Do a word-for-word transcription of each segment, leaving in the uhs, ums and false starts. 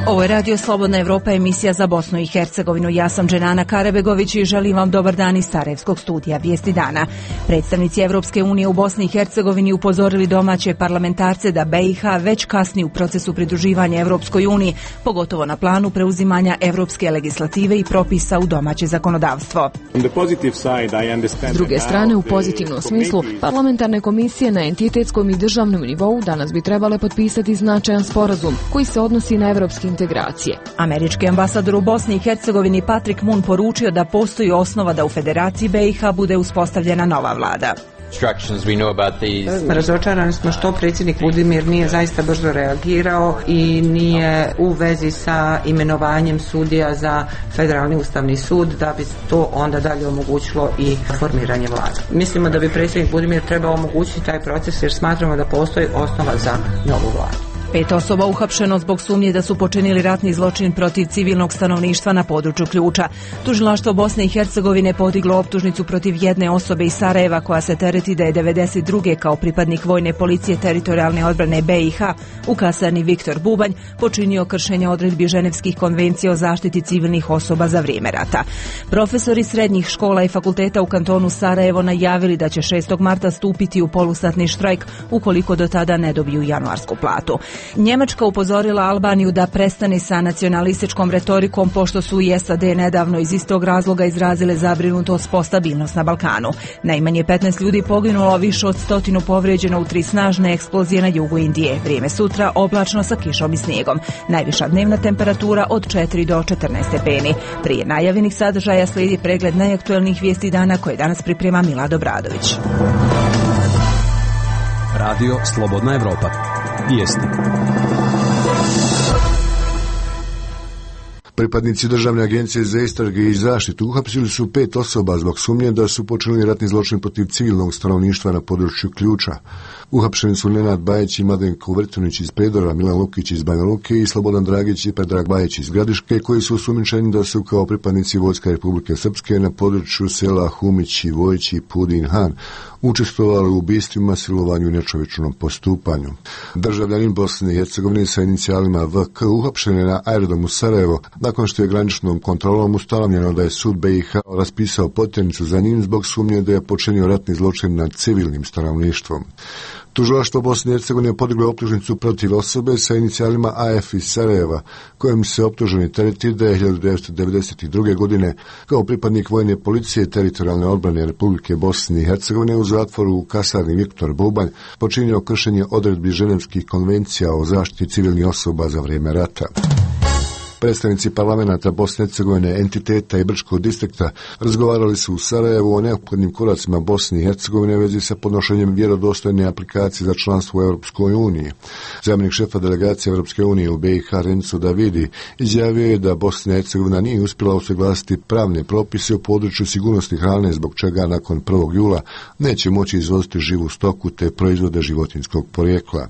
Ovo je Radio Slobodna Evropa, emisija za Bosnu i Hercegovinu. Ja sam Dženana Karabegović i želim vam dobar dan iz Sarajevskog studija Vijesti dana. Predstavnici Evropske unije u Bosni i Hercegovini upozorili domaće parlamentarce da B i H već kasni u procesu pridruživanja Evropskoj uniji, pogotovo na planu preuzimanja evropske legislative i propisa u domaće zakonodavstvo. S druge strane, u pozitivnom smislu, parlamentarne komisije na entitetskom i državnom nivou danas bi trebale potpisati značajan sporazum koji se odnosi na evropski integracije. Američki ambasador u Bosni i Hercegovini Patrick Moon poručio da postoji osnova da u Federaciji B i H bude uspostavljena nova vlada. Razočarani smo što predsjednik Budimir nije zaista brzo reagirao i nije u vezi sa imenovanjem sudija za Federalni ustavni sud, da bi to onda dalje omogućilo i formiranje vlade. Mislimo da bi predsjednik Budimir trebao omogućiti taj proces jer smatramo da postoji osnova za novu vladu. Pet osoba uhapšeno zbog sumnje da su počinili ratni zločin protiv civilnog stanovništva na području Ključa. Tužilaštvo Bosne i Hercegovine podiglo optužnicu protiv jedne osobe iz Sarajeva koja se tereti da je devedeset druge kao pripadnik vojne policije teritorijalne odbrane B i H u kasarni Viktor Bubanj počinio kršenje odredbi Ženevskih konvencija o zaštiti civilnih osoba za vrijeme rata. Profesori srednjih škola i fakulteta u kantonu Sarajevo najavili da će šestog marta stupiti u polusatni štrajk ukoliko do tada ne dobiju januarsku platu. Njemačka upozorila Albaniju da prestane sa nacionalističkom retorikom pošto su i S A D nedavno iz istog razloga izrazile zabrinutost po stabilnost na Balkanu. Najmanje petnaest ljudi poginulo, više od stotinu povrijeđeno u tri snažne eksplozije na jugu Indije. Vrijeme sutra oblačno sa kišom i snijegom. Najviša dnevna temperatura od četiri do četrnaest stepeni. Prije najavljenih sadržaja slijedi pregled najaktuelnijih vijesti dana koje danas priprema Milad Obradović. Radio Slobodna Evropa. Vijesti. Pripadnici Državne agencije za istrage i zaštitu uhapsili su pet osoba zbog sumnje da su počinili ratni zločin protiv civilnog stanovništva na području Ključa. Uhapšeni su Nenad Bajić i Mladenko Vrtunić iz Prijedora, Milan Lukić iz Banja Luke i Slobodan Dragić i Predrag Bajić iz Gradiške, koji su osumnjičeni da su kao pripadnici Vojske Republike Srpske na području sela Humić i Vojić i Pudin Han učestvovali u ubistvima, silovanju i nečovječnom postupanju. Državljanin Bosne i Hercegovine sa inicijalima V K uhapšen je na aerodromu Sarajevo nakon što je graničnom kontrolom ustanovljeno da je sud B i H raspisao potjernicu za njim zbog sumnje da je počinio ratni zločin nad civilnim stanovništvom. Tužilaštvo Bosne i Hercegovine podiglo optužnicu protiv osobe sa inicijalima A F iz Sarajeva, kojim se optuženi tereti da je hiljadu devetsto devedeset druge. godine kao pripadnik vojne policije teritorijalne odbrane Republike Bosne i Hercegovine u zatvoru u kasarni Viktor Bubanj počinio kršenje odredbi Ženevskih konvencija o zaštiti civilnih osoba za vrijeme rata. Predstavnici parlamenta Bosne i Hercegovine, entiteta i Brčkog distrikta razgovarali su u Sarajevu o neophodnim koracima Bosne i Hercegovine u vezi sa podnošenjem vjerodostojne aplikacije za članstvo u Europskoj uniji. Zamjenik šefa delegacije Europske unije u B i H Renzo Davidi izjavio je da Bosna i Hercegovina nije uspjela usuglasiti pravne propise u području sigurnosti hrane, zbog čega nakon prvog jula neće moći izvoziti živu stoku te proizvode životinjskog porijekla.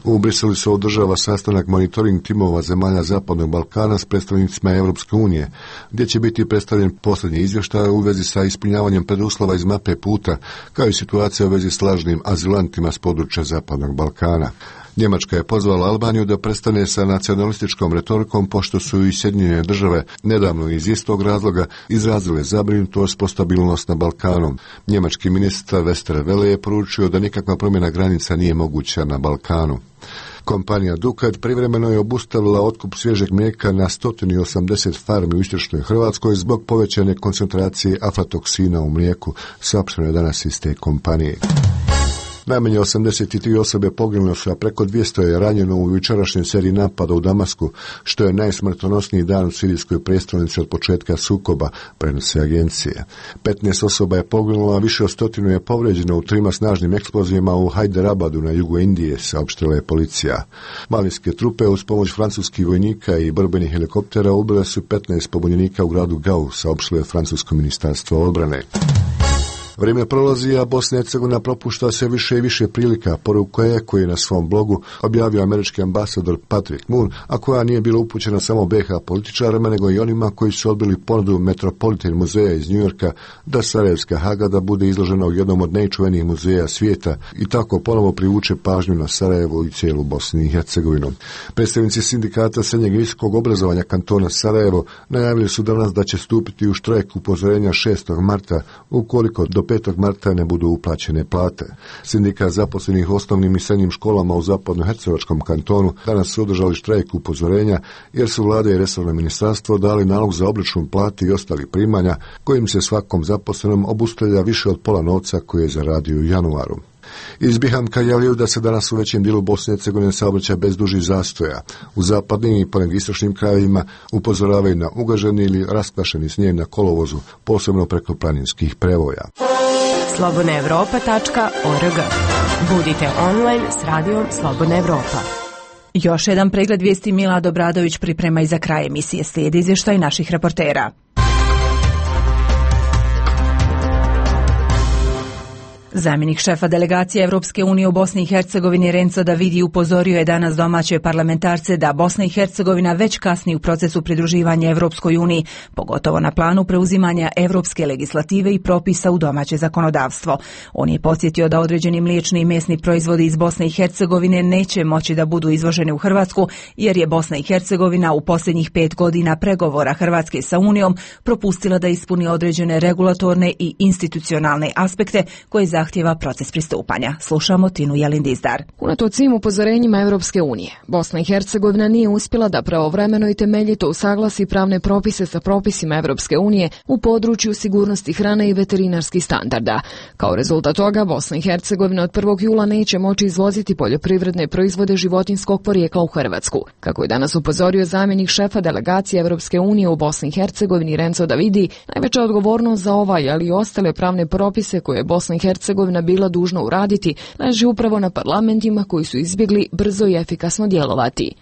U Briselu se održava sastanak monitoring timova zemalja Zapadnog Balkana s predstavnicima Europske unije, gdje će biti predstavljen posljednji izvještaj u vezi sa ispunjavanjem preduslova iz mape puta, kao i situacija u vezi s lažnim azilantima s područja Zapadnog Balkana. Njemačka je pozvala Albaniju da prestane sa nacionalističkom retorikom, pošto su i Sjedinjene države nedavno iz istog razloga izrazile zabrinutost po stabilnost na Balkanu. Njemački ministar Westerwelle je poručio da nikakva promjena granica nije moguća na Balkanu. Kompanija Dukat privremeno je obustavila otkup svježeg mlijeka na sto osamdeset farmi u istočnoj Hrvatskoj zbog povećane koncentracije aflatoksina u mlijeku, saopšteno je danas iz te kompanije. Najmanje osamdeset tri osobe poginule su, a preko dvjesto je ranjeno u jučerašnjoj seriji napada u Damasku, što je najsmrtonosniji dan u sirijskoj prijestolnici od početka sukoba, prenose agencije. petnaest osoba je poginulo, a više od stotinu je povrijeđeno u trima snažnim eksplozijama u Hajderabadu na jugu Indije, saopštila je policija. Malijske trupe uz pomoć francuskih vojnika i borbenih helikoptera ubile su petnaest pobunjenika u gradu Gau, saopštilo je francusko ministarstvo odbrane. Vrijeme prolazi, a Bosna i Hercegovina propušta sve više i više prilika, poruka je koji je na svom blogu objavio američki ambasador Patrick Moon, a koja nije bila upućena samo be ha političarima, nego i onima koji su odbili ponudu Metropolitan muzeja iz Njujorka da Sarajevska Hagada bude izložena u jednom od najčuvenijih muzeja svijeta i tako ponovo privuče pažnju na Sarajevo i cijelu Bosnu i Hercegovinu. Predstavnici sindikata srednjeg i visokog obrazovanja kantona Sarajevo najavili su danas da će stupiti u štrajk upozorenja šestog marta ukoliko do petog marta ne budu uplaćene plate. Sindikat zaposlenih osnovnim i srednjim školama u zapadnohercegovačkom kantonu danas su održali štrajk upozorenja jer su vlada i resorno ministarstvo dali nalog za obračun plati i ostalih primanja kojim se svakom zaposlenom obustavlja više od pola novca koje je zaradio u januaru. Iz Bihamka javljaju da se danas u većem dijelu Bosne i Hercegovine saobraća bez dužih zastoja. U zapadnim i ponegdje istočnim krajevima upozoravaju na ugaženi ili raskvašeni snijeg na kolovozu, posebno preko planinskih prevoja. slobodna evropa tačka org. Budite online s radijom Slobodna Evropa. Još jedan pregled vijesti Milad Obradović priprema i za kraj emisije. Slijedi izvještaj naših reportera. Zamjenik šefa delegacije Evropske unije u Bosni i Hercegovini Renzo Davidi upozorio je danas domaće parlamentarce da Bosna i Hercegovina već kasni u procesu pridruživanja Evropskoj uniji, pogotovo na planu preuzimanja evropske legislative i propisa u domaće zakonodavstvo. On je podsjetio da određeni mliječni i mesni proizvodi iz Bosne i Hercegovine neće moći da budu izvoženi u Hrvatsku, jer je Bosna i Hercegovina u posljednjih pet godina pregovora Hrvatske sa Unijom propustila da ispuni određene regulatorne i institucionalne aspekte koje zahtjeva proces pristupanja. Slušamo Tinu Jelindizdar. Unatoč svim upozorenjima Evropske unije, Bosna i Hercegovina nije uspjela da pravovremeno i temeljito usaglasi pravne propise sa propisima Evropske unije u području sigurnosti hrane i veterinarskih standarda. Kao rezultat toga, Bosna i Hercegovina od prvog jula neće moći izvoziti poljoprivredne proizvode životinjskog porijekla u Hrvatsku. Kako je danas upozorio zamjenik šefa delegacije Evropske unije u Bosni i Hercegovini Renzo Davidi, najveća odgovornost za ovaj, ali i ostale pravne propise koje je Bosna i Hercegovina bila dužna uraditi, leži upravo na parlamentima koji su izbjegli brzo i efikasno djelovati.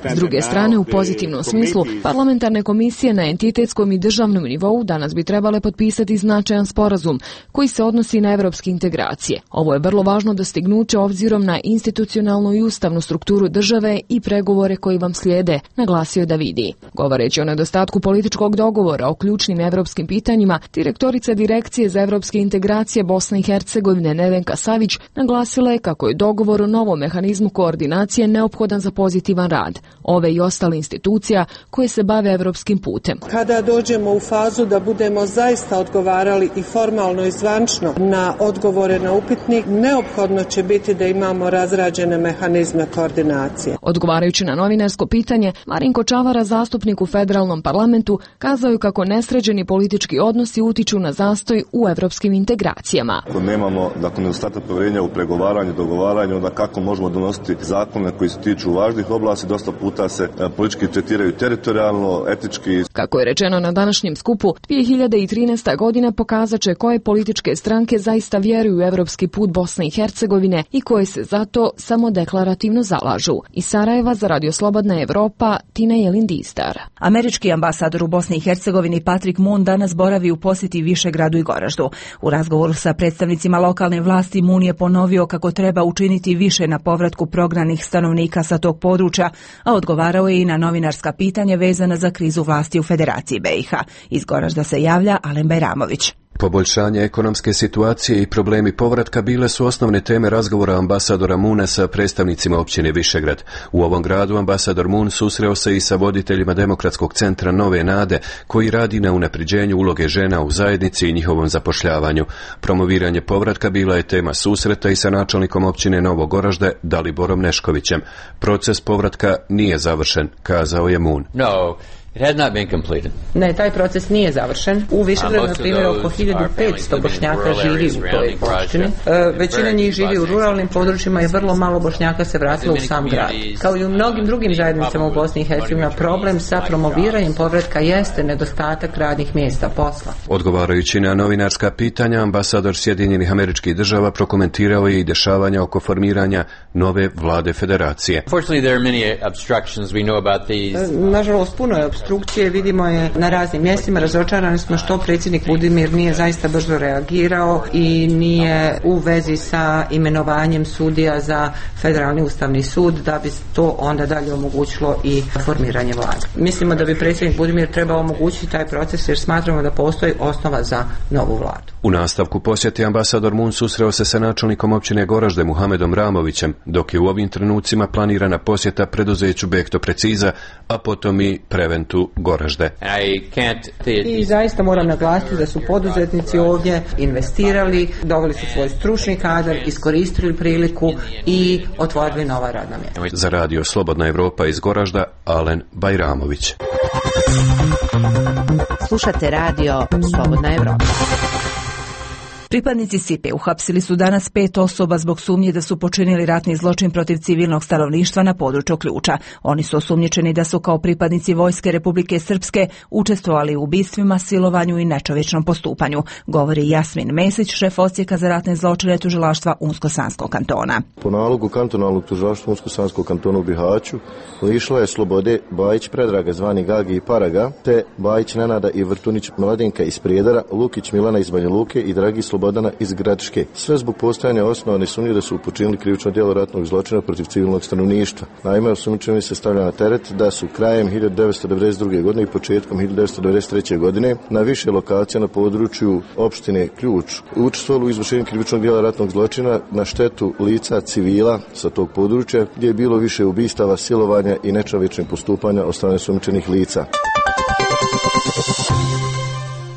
S druge strane, u pozitivnom smislu, parlamentarne komisije na entitetskom i državnom nivou danas bi trebale potpisati značajan sporazum koji se odnosi na evropske integracije. Ovo je vrlo važno dostignuće obzirom na institucionalnu i ustavnu strukturu države i pregovore koji vam slijede, naglasio Davidi. Govoreći o nedostatku političkog dogovora o ključnim evropskim pitanjima, direktorica Direkcije za evropske integracije Bosne i Hercegovine Nevenka Savić naglasila je kako je dogovor o novom mehanizmu koordinacije neophodan za pozitivan rad ove i ostale institucija koje se bave evropskim putem. Kada dođemo u fazu da budemo zaista odgovarali i formalno i zvančno na odgovore na upitnik, neophodno će biti da imamo razrađene mehanizme koordinacije. Odgovarajući na novinarsko pitanje, Marinko Čavara, zastupnik u federalnom parlamentu, kazao je kako nesređeni politički odnosi utiču na zastoj u evropskim integracijama. Ako nemamo, dakle, nedostatak povjerenja u pregovaranju, dogovaranju, onda kako možemo donositi zakone koji se tiču važnih oblasti, dosta puta se politički tretiraju teritorijalno, etički. Kako je rečeno na današnjem skupu, dvije hiljade trinaesta godina pokazat će koje političke stranke zaista vjeruju u evropski put Bosne i Hercegovine i koje se zato samo deklarativno zalažu. Iz Sarajeva za Radio Slobodna Evropa, Tina Jelindizdar. Američki ambasador u Bosni i Hercegovini Patrick Moon danas boravi u posjeti Višegradu i Goraždu. U razgovoru sa predstavnicima lokalne vlasti Moon je ponovio kako treba učiniti više na povratku prognanih stanovnika sa tog područja, a odgovarao je i na novinarska pitanja vezana za krizu vlasti u Federaciji be i ha. Iz Goražda se javlja Alen Bajramović. Poboljšanje ekonomske situacije i problemi povratka bile su osnovne teme razgovora ambasadora Moona sa predstavnicima općine Višegrad. U ovom gradu ambasador Moon susreo se i sa voditeljima Demokratskog centra Nove Nade, koji radi na unapređenju uloge žena u zajednici i njihovom zapošljavanju. Promoviranje povratka bila je tema susreta i sa načelnikom općine Novog Goražde Daliborom Neškovićem. Proces povratka nije završen, kazao je Moon. No. It has not been completed. Ne, taj proces nije završen. U Višegradu, na primjer, oko hiljadu petsto Bošnjaka živi u toj opštini. E, većina njih živi u ruralnim područjima i vrlo malo Bošnjaka se vratilo u sam grad. Kao i u mnogim drugim zajednicama u Bosni i Hercegovini, problem sa promoviranjem povratka jeste nedostatak radnih mjesta, posla. Odgovarajući na novinarska pitanja, ambasador Sjedinjenih Američkih Država prokomentirao je i dešavanja oko formiranja nove vlade federacije. Unfortunately, there are many obstructions. We know about these. Nažalost, puno je obstrukcije vidimo je na raznim mjestima. Razočarani smo što predsjednik Budimir nije zaista brzo reagirao i nije u vezi sa imenovanjem sudija za Federalni ustavni sud, da bi to onda dalje omogućilo i formiranje vlade. Mislimo da bi predsjednik Budimir trebao omogućiti taj proces jer smatramo da postoji osnova za novu vladu. U nastavku posjeti ambasador Moon susreo se sa načelnikom općine Goražde Muhamedom Ramovićem, dok je u ovim trenucima planirana posjeta preduzeću Bekto Preciza, a potom i Preventu Goražde. I zaista moram naglasiti da su poduzetnici ovdje investirali, doveli su svoj stručni kadar, iskoristili priliku i otvorili nova radna mjesta. Za radio Slobodna Evropa iz Goražda, Alen Bajramović. Slušate radio Slobodna Evropa. Pripadnici S I P E uhapsili su danas pet osoba zbog sumnje da su počinili ratni zločin protiv civilnog stanovništva na području Ključa. Oni su osumnjičeni da su kao pripadnici Vojske Republike Srpske učestvovali u ubistvima, silovanju i nečovječnom postupanju, govori Jasmin Mesić, šef odsjeka za ratne zločine tužilaštva Unsko-Sanskog kantona. Po nalogu kantonalnog tužilaštva Unsko-Sanskog kantona u Bihaću lišila je slobode Bajić Predraga zvani Gagi i Paraga, te Bajić Nenada i Vrtunić Mladenka iz Prijedara, Lukić Milana iz Banja Luke i Dragi Slobodana iz Gradiške. Sve zbog postojanja osnovane sumnje da su počinili krivično djelo ratnog zločina protiv civilnog stanovništva. Naime, osumnjičeni se stavlja na teret da su krajem hiljadu devetsto devedeset druge. godine i početkom hiljadu devetsto devedeset treće. godine na više lokacija na području opštine Ključ učestvovali u izvršenju krivičnog djela ratnog zločina na štetu lica civila sa tog područja, gdje je bilo više ubistava, silovanja i nečovječnih postupanja od strane osumnjičenih lica.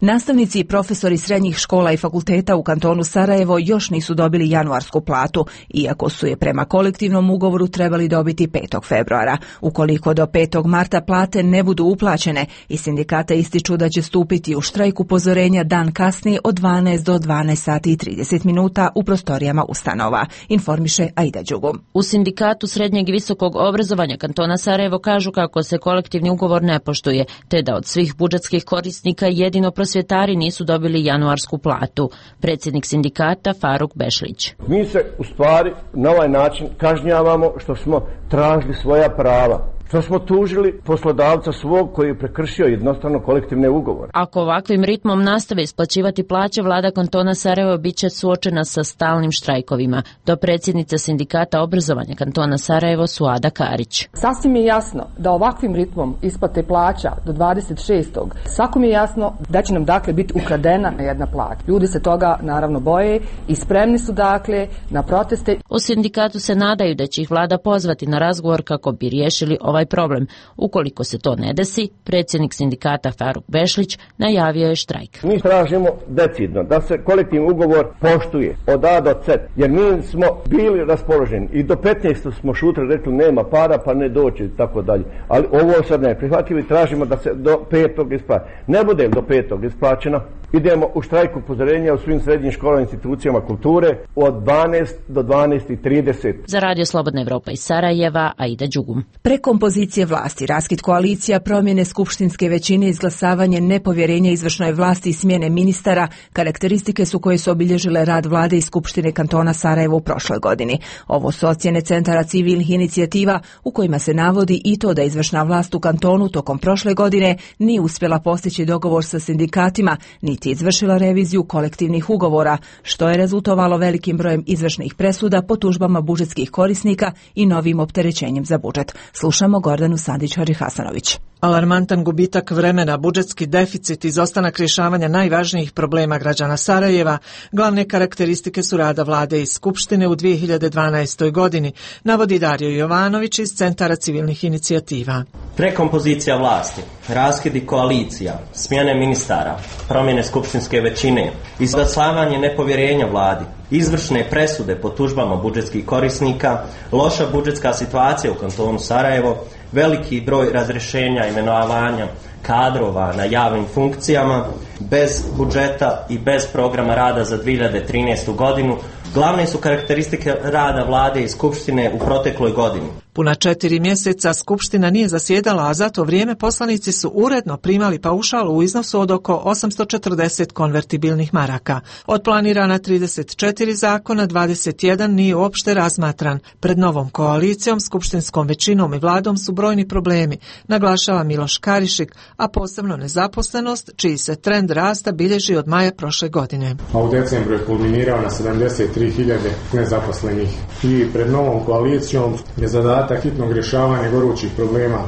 Nastavnici i profesori srednjih škola i fakulteta u kantonu Sarajevo još nisu dobili januarsku platu, iako su je prema kolektivnom ugovoru trebali dobiti petog februara. Ukoliko do petog marta plate ne budu uplaćene, i sindikata ističu da će stupiti u štrajk upozorenja dan kasnije od dvanaest do dvanaest sati i trideset minuta u prostorijama ustanova, informiše Aida Đugum. U sindikatu srednjeg i visokog obrazovanja kantona Sarajevo kažu kako se kolektivni ugovor ne poštuje, te da od svih budžetskih korisnika jedino prosvjetari nisu dobili januarsku platu. Predsjednik sindikata Faruk Bešlić. Mi se u stvari na ovaj način kažnjavamo što smo tražili svoja prava. Što smo tužili poslodavca svog koji je prekršio jednostavno kolektivne ugovore. Ako ovakvim ritmom nastave isplaćivati plaće, vlada kantona Sarajevo bit će suočena sa stalnim štrajkovima. Do predsjednica sindikata obrazovanja kantona Sarajevo Suada Karić. Sasvim je jasno da ovakvim ritmom isplate plaća do dvadeset šestog svakom je jasno da će nam dakle biti ukradena jedna plaća. Ljudi se toga naravno boje i spremni su dakle na proteste. U sindikatu se nadaju da će ih vlada pozvati na razgovor kako bi riješili ovaj problem. Ukoliko se to ne desi, predsjednik sindikata Faruk Bešlić najavio je štrajk. Mi tražimo decidno da se kolektivni ugovor poštuje od A do C, jer mi smo bili raspoloženi i do petnaestog smo šutili, rekli nema para pa ne doći i tako dalje. Ali ovo sad ne prihvatili i tražimo da se do petog isplati. Ne bude do petog isplaćeno, idemo u štrajk upozorenja u svim srednjim školama i institucijama kulture od dvanaest do dvanaest i trideset. Za radio Slobodna Evropa iz Sarajeva, Aida Đugum. Prekompozicije vlasti, raskid koalicija, promjene skupštinske većine, izglasavanje nepovjerenja izvršnoj vlasti i smjene ministara, karakteristike su koje su obilježile rad vlade i skupštine kantona Sarajevo u prošloj godini. Ovo su ocjene centara civilnih inicijativa u kojima se navodi i to da izvršna vlast u kantonu tokom prošle godine nije uspjela postići dogovor sa sindikatima, niti izvršila reviziju kolektivnih ugovora, što je rezultovalo velikim brojem izvršnih presuda po tužbama budžetskih korisnika i novim opterećenjem za budžet. Slušamo Gordanu Sandić-Harihasanović. Alarmantan gubitak vremena, budžetski deficit, izostanak rješavanja najvažnijih problema građana Sarajeva, glavne karakteristike su rada vlade i skupštine u dvije hiljade dvanaestoj. godini, navodi Dario Jovanović iz Centara civilnih inicijativa. Prekompozicija vlasti, raskidi koalicija, smjene ministara, promjene skupštinske većine, izglasavanje nepovjerenja vladi, izvršne presude po tužbama budžetskih korisnika, loša budžetska situacija u kantonu Sarajevo, veliki broj razrješenja, imenovanja kadrova na javnim funkcijama, bez budžeta i bez programa rada za dvije hiljade trinaestu. godinu, glavne su karakteristike rada vlade i skupštine u protekloj godini. Puna četiri mjeseca Skupština nije zasjedala, a za to vrijeme poslanici su uredno primali paušal u iznosu od oko osamsto četrdeset konvertibilnih maraka. Od planirana trideset četiri zakona, dvadeset jedan nije uopšte razmatran. Pred novom koalicijom, skupštinskom većinom i vladom su brojni problemi, naglašava Miloš Karišik, a posebno nezaposlenost, čiji se trend rasta bilježi od maja prošle godine. A u decembru je kulminirao na sedamdeset tri hiljade nezaposlenih. I pred novom koalicijom je zadatak hitnog rješavanja gorućih problema,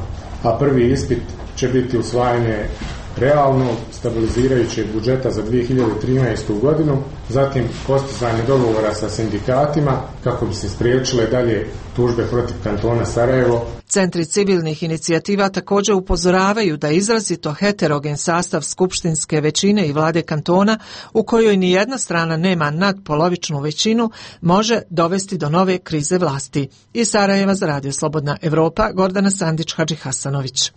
a prvi ispit će biti usvajanje realno stabilizirajućeg budžeta za dvije hiljade trinaestu. godinu, zatim postizanje dogovora sa sindikatima kako bi se spriječile dalje tužbe protiv kantona Sarajevo. Centri civilnih inicijativa također upozoravaju da izrazito heterogen sastav skupštinske većine i vlade kantona, u kojoj ni jedna strana nema nadpolovičnu većinu, može dovesti do nove krize vlasti. Iz Sarajeva za Radio Slobodna Evropa, Gordana Sandić-Hadži-Hasanović.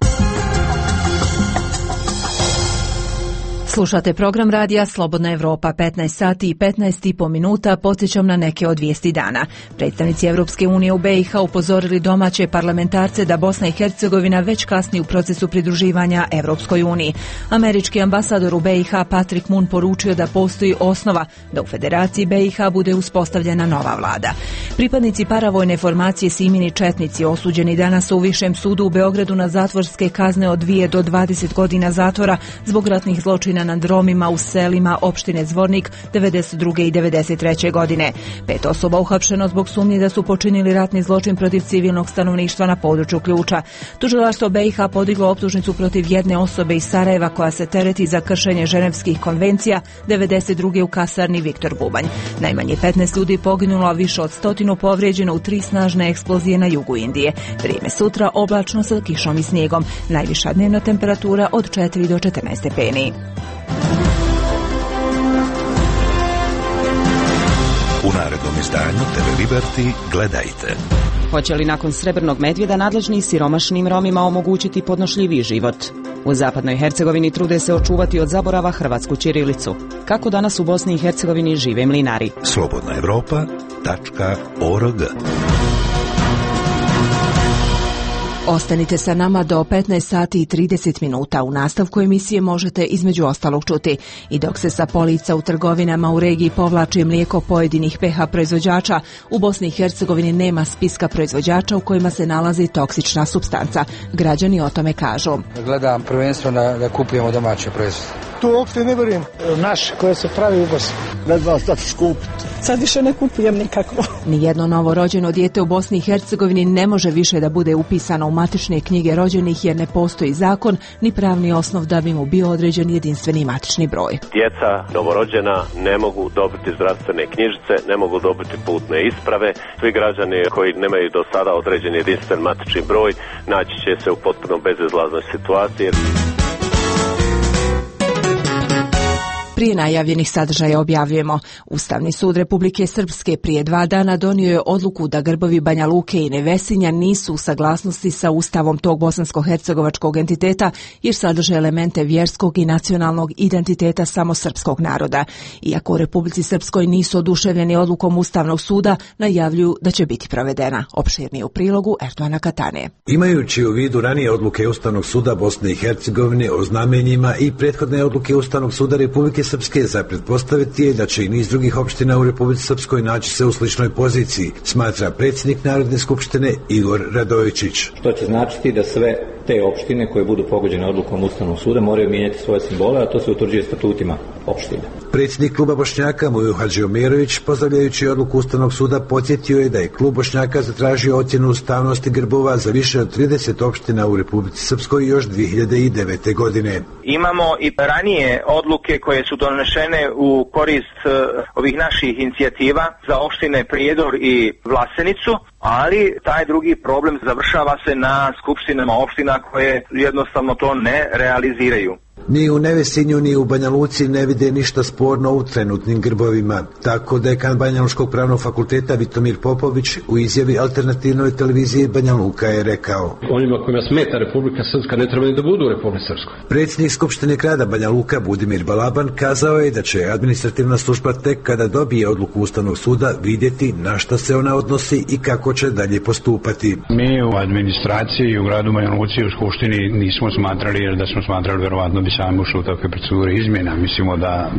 Slušate program radija Slobodna Evropa, petnaest sati i petnaest i po minuta. Podsjećam na neke od vijesti dana. Predstavnici Evropske unije u B i H upozorili domaće parlamentarce da Bosna i Hercegovina već kasni u procesu pridruživanja Evropskoj uniji. Američki ambasador u B i H Patrick Moon poručio da postoji osnova da u Federaciji B i H bude uspostavljena nova vlada. Pripadnici paravojne formacije Simini četnici osuđeni danas u Višem sudu u Beogradu na zatvorske kazne od dvije do dvadeset godina zatvora zbog ratnih zločina nad Romima u selima opštine Zvornik devedeset druge i devedeset treće. godine. Pet osoba uhapšeno zbog sumnje da su počinili ratni zločin protiv civilnog stanovništva na području Ključa. Tužilaštvo B i H podiglo optužnicu protiv jedne osobe iz Sarajeva koja se tereti za kršenje ženevskih konvencija devedeset druge. u kasarni Viktor Bubanj. Najmanje petnaest ljudi poginulo, a više od stotinu povrijeđeno u tri snažne eksplozije na jugu Indije. Vrijeme sutra oblačno sa kišom i snijegom. Najviša dnevna temperatura od četiri do četrnaest stepeni. U narednom izdanju T V Liberty gledajte. Hoće li nakon Srebrnog medvjeda nadležni i siromašnim Romima omogućiti podnošljiviji život? U zapadnoj Hercegovini trude se očuvati od zaborava hrvatsku ćirilicu. Kako danas u Bosni i Hercegovini žive mlinari? Slobodna Evropa tačka org. Ostanite sa nama do petnaest sati i trideset minuta. U nastavku emisije možete između ostalog čuti: i dok se sa polica u trgovinama u regiji povlači mlijeko pojedinih P H proizvođača, u Bosni i Hercegovini nema spiska proizvođača u kojima se nalazi toksična supstanca. Građani o tome kažu: gledam prvenstveno da, da kupujemo domaće proizvode. Tu uopšte ne vjerujem. Naš koje se pravi u Bosni. Ne znam šta ću skupiti. Sad više ne kupujem nikako. Nijedno novorođeno dijete u Bosni i Hercegovini ne može više da bude upisano u matične knjige rođenih jer ne postoji zakon ni pravni osnov da bi mu bio određen jedinstveni matični broj. Djeca novorođena ne mogu dobiti zdravstvene knjižice, ne mogu dobiti putne isprave. Svi građani koji nemaju do sada određen jedinstven matični broj naći će se u potpuno bezizlaznoj situaciji. Prije najavljenih sadržaja objavljujemo: Ustavni sud Republike Srpske prije dva dana donio je odluku da grbovi Banja Luke i Nevesinja nisu u saglasnosti sa ustavom tog bosansko-hercegovačkog entiteta jer sadrže elemente vjerskog i nacionalnog identiteta samo srpskog naroda. Iako u Republici Srpskoj nisu oduševljeni odlukom Ustavnog suda, najavljuju da će biti provedena. Opširnije u prilogu Erdoana Katane. Imajući u vidu ranije odluke Ustavnog suda Bosne i Hercegovine o znamenjima i prethodne odluke Ustavnog suda Republike Srpske, za pretpostaviti je da će i niz drugih opština u Republici Srpskoj naći se u sličnoj poziciji, smatra predsjednik Narodne skupštine Igor Radojičić. Što će značiti da sve te opštine koje budu pogođene odlukom Ustavnog suda moraju mijenjati svoje simbole, a to se utvrđuje statutima opština. Predsjednik kluba Bošnjaka Mujo Hadžiomirović, pozdravljajući odluku Ustavnog suda, podsjetio je da je klub Bošnjaka zatražio ocjenu ustavnosti grbova za više od trideset opština u Republici Srpskoj još dvije hiljade devete. godine. Imamo i ranije odluke koje su donešene u korist uh, ovih naših inicijativa za opštine Prijedor i Vlasenicu, ali taj drugi problem završava se na skupštinama opština koje jednostavno to ne realiziraju. Ni u Nevesinju ni u Banja Luci ne vide ništa sporno u trenutnim grbovima. Tako dekan Banjalučkog pravnog fakulteta Vitomir Popović u izjavi alternativnoj televiziji Banja Luka je rekao: Onima kojima smeta Republika Srpska ne treba ni da budu u Republici Srpskoj. Predsjednik Skupštine grada Banja Luka Budimir Balaban kazao je da će administrativna služba tek kada dobije odluku Ustavnog suda vidjeti na šta se ona odnosi i kako će dalje postupati. Mi u administraciji i u gradu Banja Luci u Skupštini nismo smatrali, jer da smo smatrali verovatno bi sami ušli u takve procedure izmjena. Mislimo da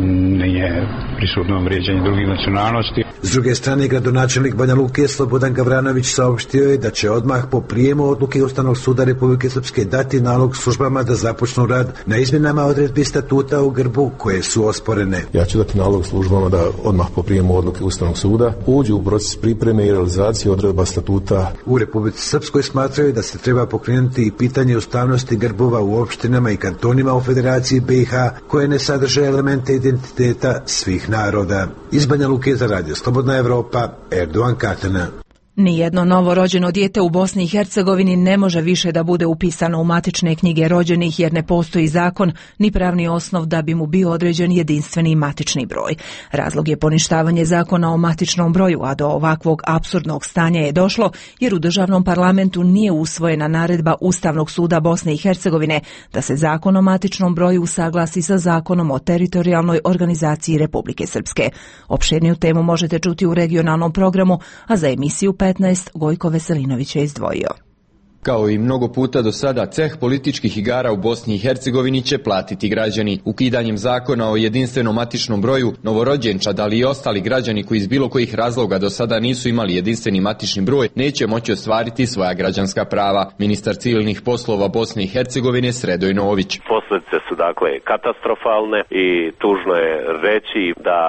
nije prisutno vrijeđanje drugih nacionalnosti. S druge strane, gradonačelnik Banja Luke Slobodan Gavranović saopštio je da će odmah po prijemu odluke Ustavnog suda Republike Srpske dati nalog službama da započnu rad na izmjenama odredbi statuta u grbu koje su osporene. Ja ću dati nalog službama da odmah po prijemu odluke Ustavnog suda uđu u proces pripreme i realizacije odredba statuta. U Republici Srpskoj smatraju da se treba pokrenuti i pitanje ustavnosti grbova u opštinama i kantonima u Federaciji B i H koje ne sadrže elemente identiteta svih naroda. Iz Banja Luke za radio Slobodna Evropa, Erdogan Katana. Nijedno novorođeno dijete u Bosni i Hercegovini ne može više da bude upisano u matične knjige rođenih jer ne postoji zakon ni pravni osnov da bi mu bio određen jedinstveni matični broj. Razlog je poništavanje zakona o matičnom broju, a do ovakvog apsurdnog stanja je došlo jer u državnom parlamentu nije usvojena naredba Ustavnog suda Bosne i Hercegovine da se zakon o matičnom broju usaglasi sa zakonom o teritorijalnoj organizaciji Republike Srpske. Opširniju temu možete čuti u regionalnom programu, a za emisiju petnaest Gojko Veselinović je izdvojio. Kao i mnogo puta do sada, ceh političkih igara u Bosni i Hercegovini će platiti građani. Ukidanjem zakona o jedinstvenom matičnom broju, novorođenčad, ali i ostali građani koji iz bilo kojih razloga do sada nisu imali jedinstveni matični broj, neće moći ostvariti svoja građanska prava. Ministar civilnih poslova Bosne i Hercegovine Sredoj Nović. Posljedice su dakle katastrofalne i tužno je reći da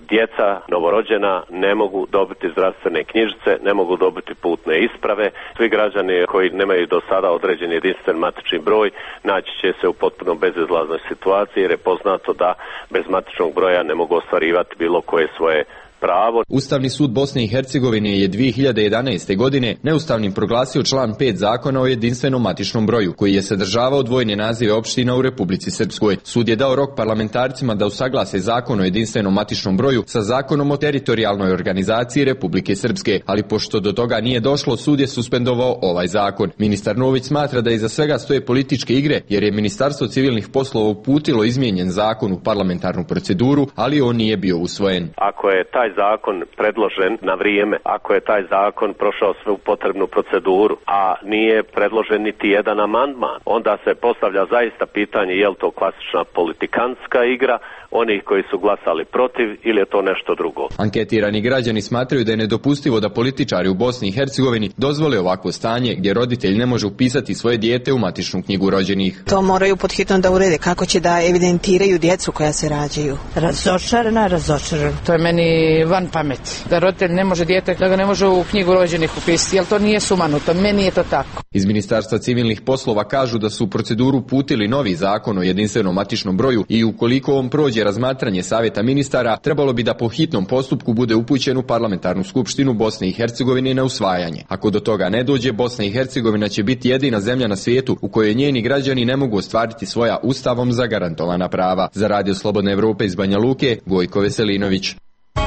djeca novorođena ne mogu dobiti zdravstvene knjižice, ne mogu dobiti putne isprave. Svi građani koji ne nemaju do sada određen jedinstven matični broj, naći će se u potpuno bezizlaznoj situaciji jer je poznato da bez matičnog broja ne mogu ostvarivati bilo koje svoje pravo. Ustavni sud Bosne i Hercegovine je dvije hiljade jedanaeste. godine neustavnim proglasio član pet zakona o jedinstvenom matičnom broju, koji je sadržavao dvojne nazive opština u Republici Srpskoj. Sud je dao rok parlamentarcima da usaglase zakon o jedinstvenom matičnom broju sa zakonom o teritorijalnoj organizaciji Republike Srpske, ali pošto do toga nije došlo, sud je suspendovao ovaj zakon. Ministar Nović smatra da iza svega stoje političke igre, jer je Ministarstvo civilnih poslova uputilo izmijenjen zakon u parlamentarnu proceduru, ali on nije bio usvojen. Ako je taj zakon predložen na vrijeme, ako je taj zakon prošao svu potrebnu proceduru, a nije predložen niti jedan amandman, onda se postavlja zaista pitanje je li to klasična politikantska igra onih koji su glasali protiv ili je to nešto drugo. Anketirani građani smatraju da je nedopustivo da političari u Bosni i Hercegovini dozvole ovakvo stanje gdje roditelj ne može upisati svoje dijete u matičnu knjigu rođenih. To moraju pod hitno da urede. Kako će da evidentiraju djecu koja se rađaju? Razočarana, razočarana. To je meni van pameti. Da roditelj ne može dijete, da ga ne može u knjigu rođenih upisati, jer to nije sumanuto. Meni je to tako. Iz Ministarstva civilnih poslova kažu da su u proceduru putili novi zakon o jedinstvenom matičnom broju i ukoliko on prođe razmatranje Savjeta ministara, trebalo bi da po hitnom postupku bude upućen u parlamentarnu skupštinu Bosne i Hercegovine na usvajanje. Ako do toga ne dođe, Bosna i Hercegovina će biti jedina zemlja na svijetu u kojoj njeni građani ne mogu ostvariti svoja ustavom zagarantovana prava. Za Radio Slobodne Evrope iz Banja Luke, Gojko Veselinović.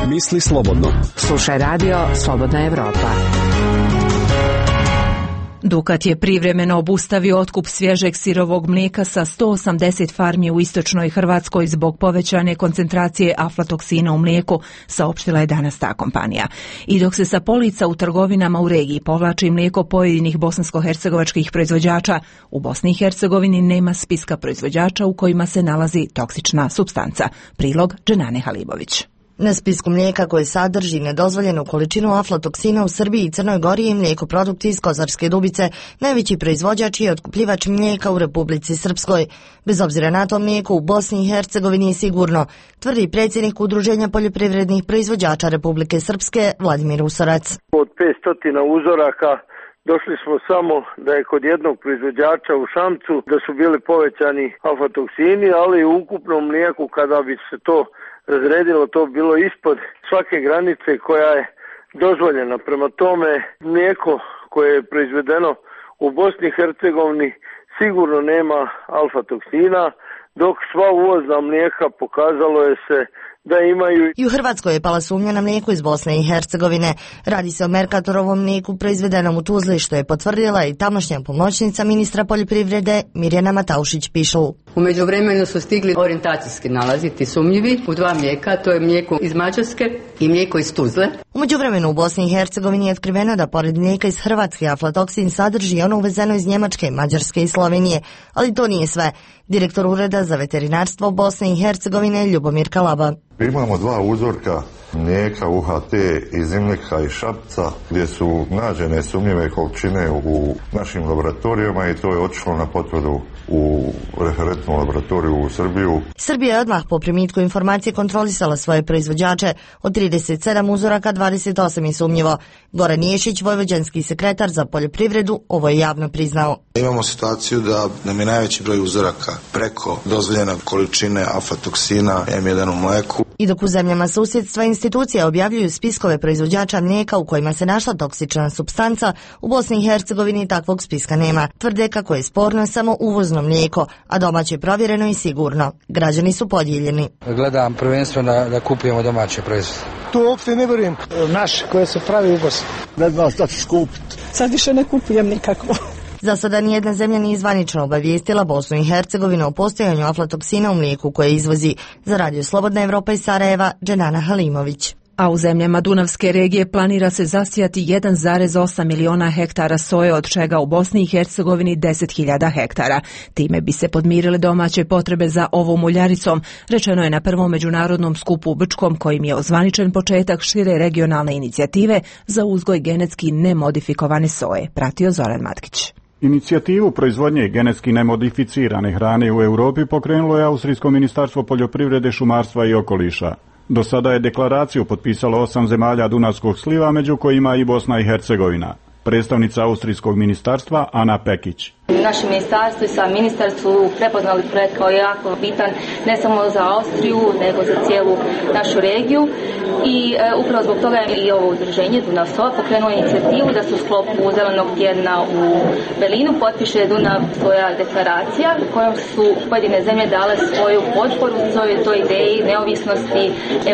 Misli slobodno. Slušaj Radio Slobodna Evropa. Dukat je privremeno obustavio otkup svježeg sirovog mlijeka sa sto osamdeset farmi u istočnoj Hrvatskoj zbog povećane koncentracije aflatoksina u mlijeku, saopštila je danas ta kompanija. I dok se sa polica u trgovinama u regiji povlači mlijeko pojedinih bosansko-hercegovačkih proizvođača, u Bosni i Hercegovini nema spiska proizvođača u kojima se nalazi toksična supstanca. Prilog Dženane Halibović. Na spisku mlijeka koje sadrži nedozvoljenu količinu aflatoksina u Srbiji i Crnoj Gori je mlijekoprodukti iz Kozarske Dubice, najveći proizvođač i otkupljivač mlijeka u Republici Srpskoj. Bez obzira na to, mlijeko u Bosni i Hercegovini je sigurno, tvrdi predsjednik Udruženja poljoprivrednih proizvođača Republike Srpske Vladimir Usorac. Od petsto uzoraka došli smo samo da je kod jednog proizvođača u Šamcu da su bili povećani aflatoksini, ali u ukupnom mlijeku kada bi se to razredilo, to bilo ispod svake granice koja je dozvoljena. Prema tome, mlijeko koje je proizvedeno u Bosni i Hercegovini sigurno nema alfa-toksina, dok sva uvozna mlijeka pokazalo je se da imaju. I u Hrvatskoj je pala sumnja na mlijeko iz Bosne i Hercegovine. Radi se o Mercatorovom mlijeku proizvedenom u Tuzli, što je potvrdila i tamošnja pomoćnica ministra poljoprivrede Mirjana Mataušić-Pišl. U međuvremenu su stigli orijentacijski nalaziti sumnjivi u dva mlijeka, to je mlijeko iz Mađarske i mlijeko iz Tuzle. U međuvremenu u Bosni i Hercegovini je otkriveno da pored mlijeka iz Hrvatske aflatoksin sadrži ono uvezeno iz Njemačke, Mađarske i Slovenije, ali to nije sve. Direktor Ureda za veterinarstvo Bosne i Hercegovine Ljubomir Kalaba. Imamo dva uzorka mlijeka U H T iz Imleka i Šapca gdje su nađene sumnjive količine u našim laboratorijama i to je otišlo na potvrdu u referentnu laboratoriju u Srbiju. Srbija je odmah po primitku informacije kontrolisala svoje proizvođače. Od trideset sedam uzoraka dvadeset osam je sumnjivo. Goran Ješić, vojvođanski sekretar za poljoprivredu, ovo je javno priznao. Imamo situaciju da nam je najveći broj uzoraka preko dozvoljene količine aflatoksina em jedan u mleku. I dok u zemljama susjedstva institucije objavljuju spiskove proizvođača mlijeka u kojima se našla toksična supstanca, u Bosni i Hercegovini takvog spiska nema. Tvrde kako je sporno samo uvozno mlijeko, a domaće provjereno i sigurno. Građani su podijeljeni. Gledam prvenstveno da, da kupujemo domaće proizvode. Tu uopšte ne vjerujem. Naš koje se pravi uvoz. Ne znam šta ću kupiti. Sad više ne kupujem nikako. Za sada nijedna zemlja nije zvanično obavijestila Bosnu i Hercegovinu o postojanju aflatoksina u mlijeku koje izvozi. Za Radio Slobodna Evropa iz Sarajeva, Dženana Halimović. A u zemljama Dunavske regije planira se zasijati jedan zarez osam miliona hektara soje, od čega u Bosni i Hercegovini deset hiljada hektara. Time bi se podmirile domaće potrebe za ovom uljaricom, rečeno je na prvom međunarodnom skupu u Brčkom, kojim je ozvaničen početak šire regionalne inicijative za uzgoj genetski nemodifikovane soje. Pratio Zoran Matkić. Inicijativu proizvodnje genetski nemodificirane hrane u Europi pokrenulo je Austrijsko ministarstvo poljoprivrede, šumarstva i okoliša. Do sada je deklaraciju potpisalo osam zemalja Dunavskog sliva, među kojima i Bosna i Hercegovina. Predstavnica Austrijskog ministarstva Ana Pekić. Naše ministarstvo i sam ministar su prepoznali projekt kao jako bitan ne samo za Austriju, nego za cijelu našu regiju i e, upravo zbog toga je i ovo udruženje Dunav Soja pokrenulo inicijativu da se u sklopu zelenog tjedna u Berlinu potpiše Dunav Soja deklaracija kojom su pojedine zemlje dale svoju potporu svojoj toj ideji neovisnosti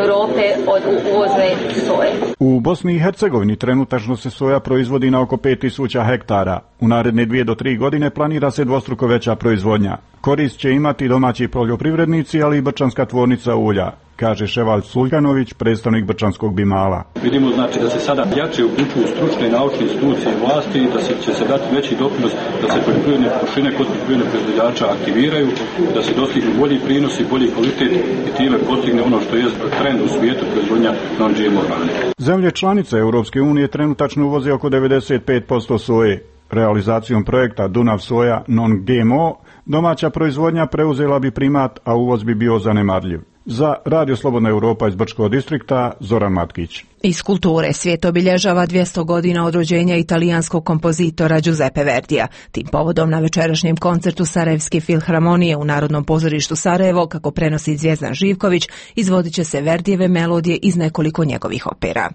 Europe od uvozne soje. U Bosni i Hercegovini trenutačno se soja proizvodi na oko pet tisuća hektara. U naredne dvije do tri godine planira se dvostruko veća proizvodnja. Korist će imati domaći poljoprivrednici, ali i brčanska tvornica ulja, kaže Ševal Suljanović, predstavnik brčanskog Bimala. Vidimo znači da se sada jače uključuju stručne i naučne institucije vlasti i da se, će se dati veći doprinos da se poljoprivredne površine kod poljoprivrednih proizvođača aktiviraju, da se dostignu bolji prinos i bolji kvalitet i time postigne ono što je trend u svijetu proizvodnja non-G M O hrane. Zemlje članice Europske unije trenutačno uvoze oko devedeset pet posto soje. Realizacijom projekta Dunav Soja non-G M O domaća proizvodnja preuzela bi primat, a uvoz bi bio zanemarljiv. Za Radio Slobodna Europa iz Brčkog distrikta, Zoran Matkić. Iz kulture svijet obilježava dvjesto godina od rođenja italijanskog kompozitora Giuseppe Verdija. Tim povodom na večerašnjem koncertu Sarajevske filharmonije u Narodnom pozorištu Sarajevo, kako prenosi Zvjezdan Živković, izvodit će se Verdijeve melodije iz nekoliko njegovih opera.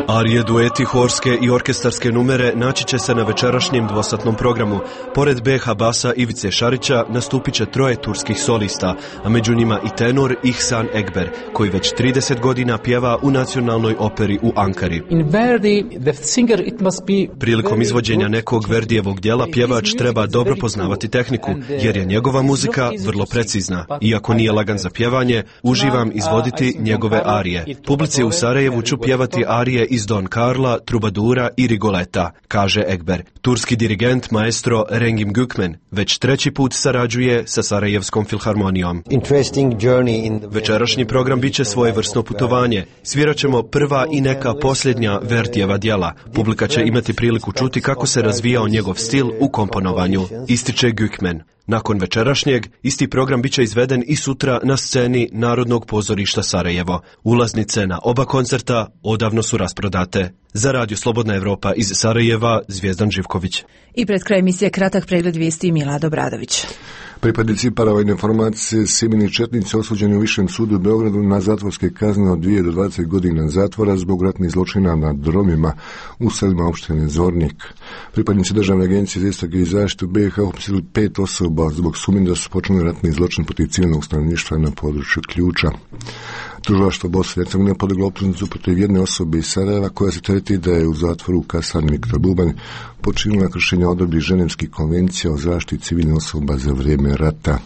Arije, dueti, horske i orkestarske numere naći će se na večerašnjem dvosatnom programu. Pored B H Basa Ivice Šarića nastupit će troje turskih solista, a među njima i tenor Ihsan Ekber, koji već trideset godina pjeva u nacionalnoj operi u Ankari. Prilikom izvođenja nekog Verdijevog djela pjevač treba dobro poznavati tehniku, jer je njegova muzika vrlo precizna. Iako nije lagan za pjevanje, uživam izvoditi njegove arije. Publici u Sarajevu ću pjevati arije iz Don Carla, Trubadura i Rigoleta, kaže Ekber. Turski dirigent maestro Rengim Gükmen već treći put sarađuje sa Sarajevskom filharmonijom. Večerašnji program bit će svojevrsno putovanje. Svirat ćemo prva i neka posljednja Verdijeva djela. Publika će imati priliku čuti kako se razvijao njegov stil u komponovanju, ističe Gükmen. Nakon večerašnjeg, isti program biće izveden i sutra na sceni Narodnog pozorišta Sarajevo. Ulaznice na oba koncerta odavno su rasprodate. Za Radio Slobodna Evropa iz Sarajeva, Zvijezdan Živković. I pred kraj emisije kratak pregled vijesti Milad Obradović. Pripadnici paravojne formacije Sjemeni četnici osuđeni u Višem sudu u Beogradu na zatvorske kazne od dvije do dvadeset godina zatvora zbog ratnih zločina nad Romima u selima opštine Zvornik. Pripadnici Državne agencije za istrage i zaštitu B iH uhapsili pet osoba zbog sumnje da su počinili ratni zločin protiv civilnog stanovništva na području Ključa. Tužilaštvo Bosne i Hercegovine podiglo optužnicu protiv jedne osobe iz Sarajeva koja se tereti da je u zatvoru u kasarni Viktor Bubanj počinila kršenja odredbi Ženevskih konvencija o zaštiti civilnih osoba za vrijeme rata.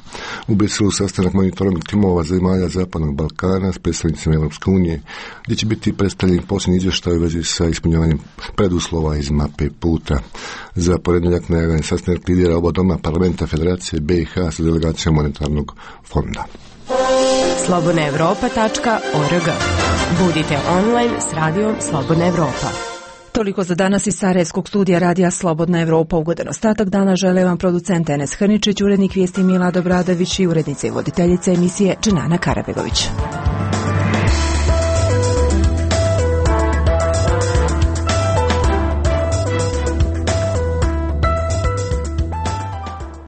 U Briselu sastanak monitoring timova zemalja Zapadnog Balkana s predstavnicima Europske unije, gdje će biti predstavljen posljednji izvještaj u vezi sa ispunjavanjem preduslova iz mape puta. Za ponedjeljak najavljen sastanak lidera oba doma parlamenta Federacije B iH sa delegacijom monetarnog fonda. slobodna evropa tačka org. Budite online s radijom Slobodna Evropa. Toliko za danas iz Sarajevskog studija radija Slobodna Evropa. Ugodan ostatak dana žele vam producent Enes Hrničić, urednik vijesti Milad Obradović i urednica i voditeljica emisije Dženana Karabegović.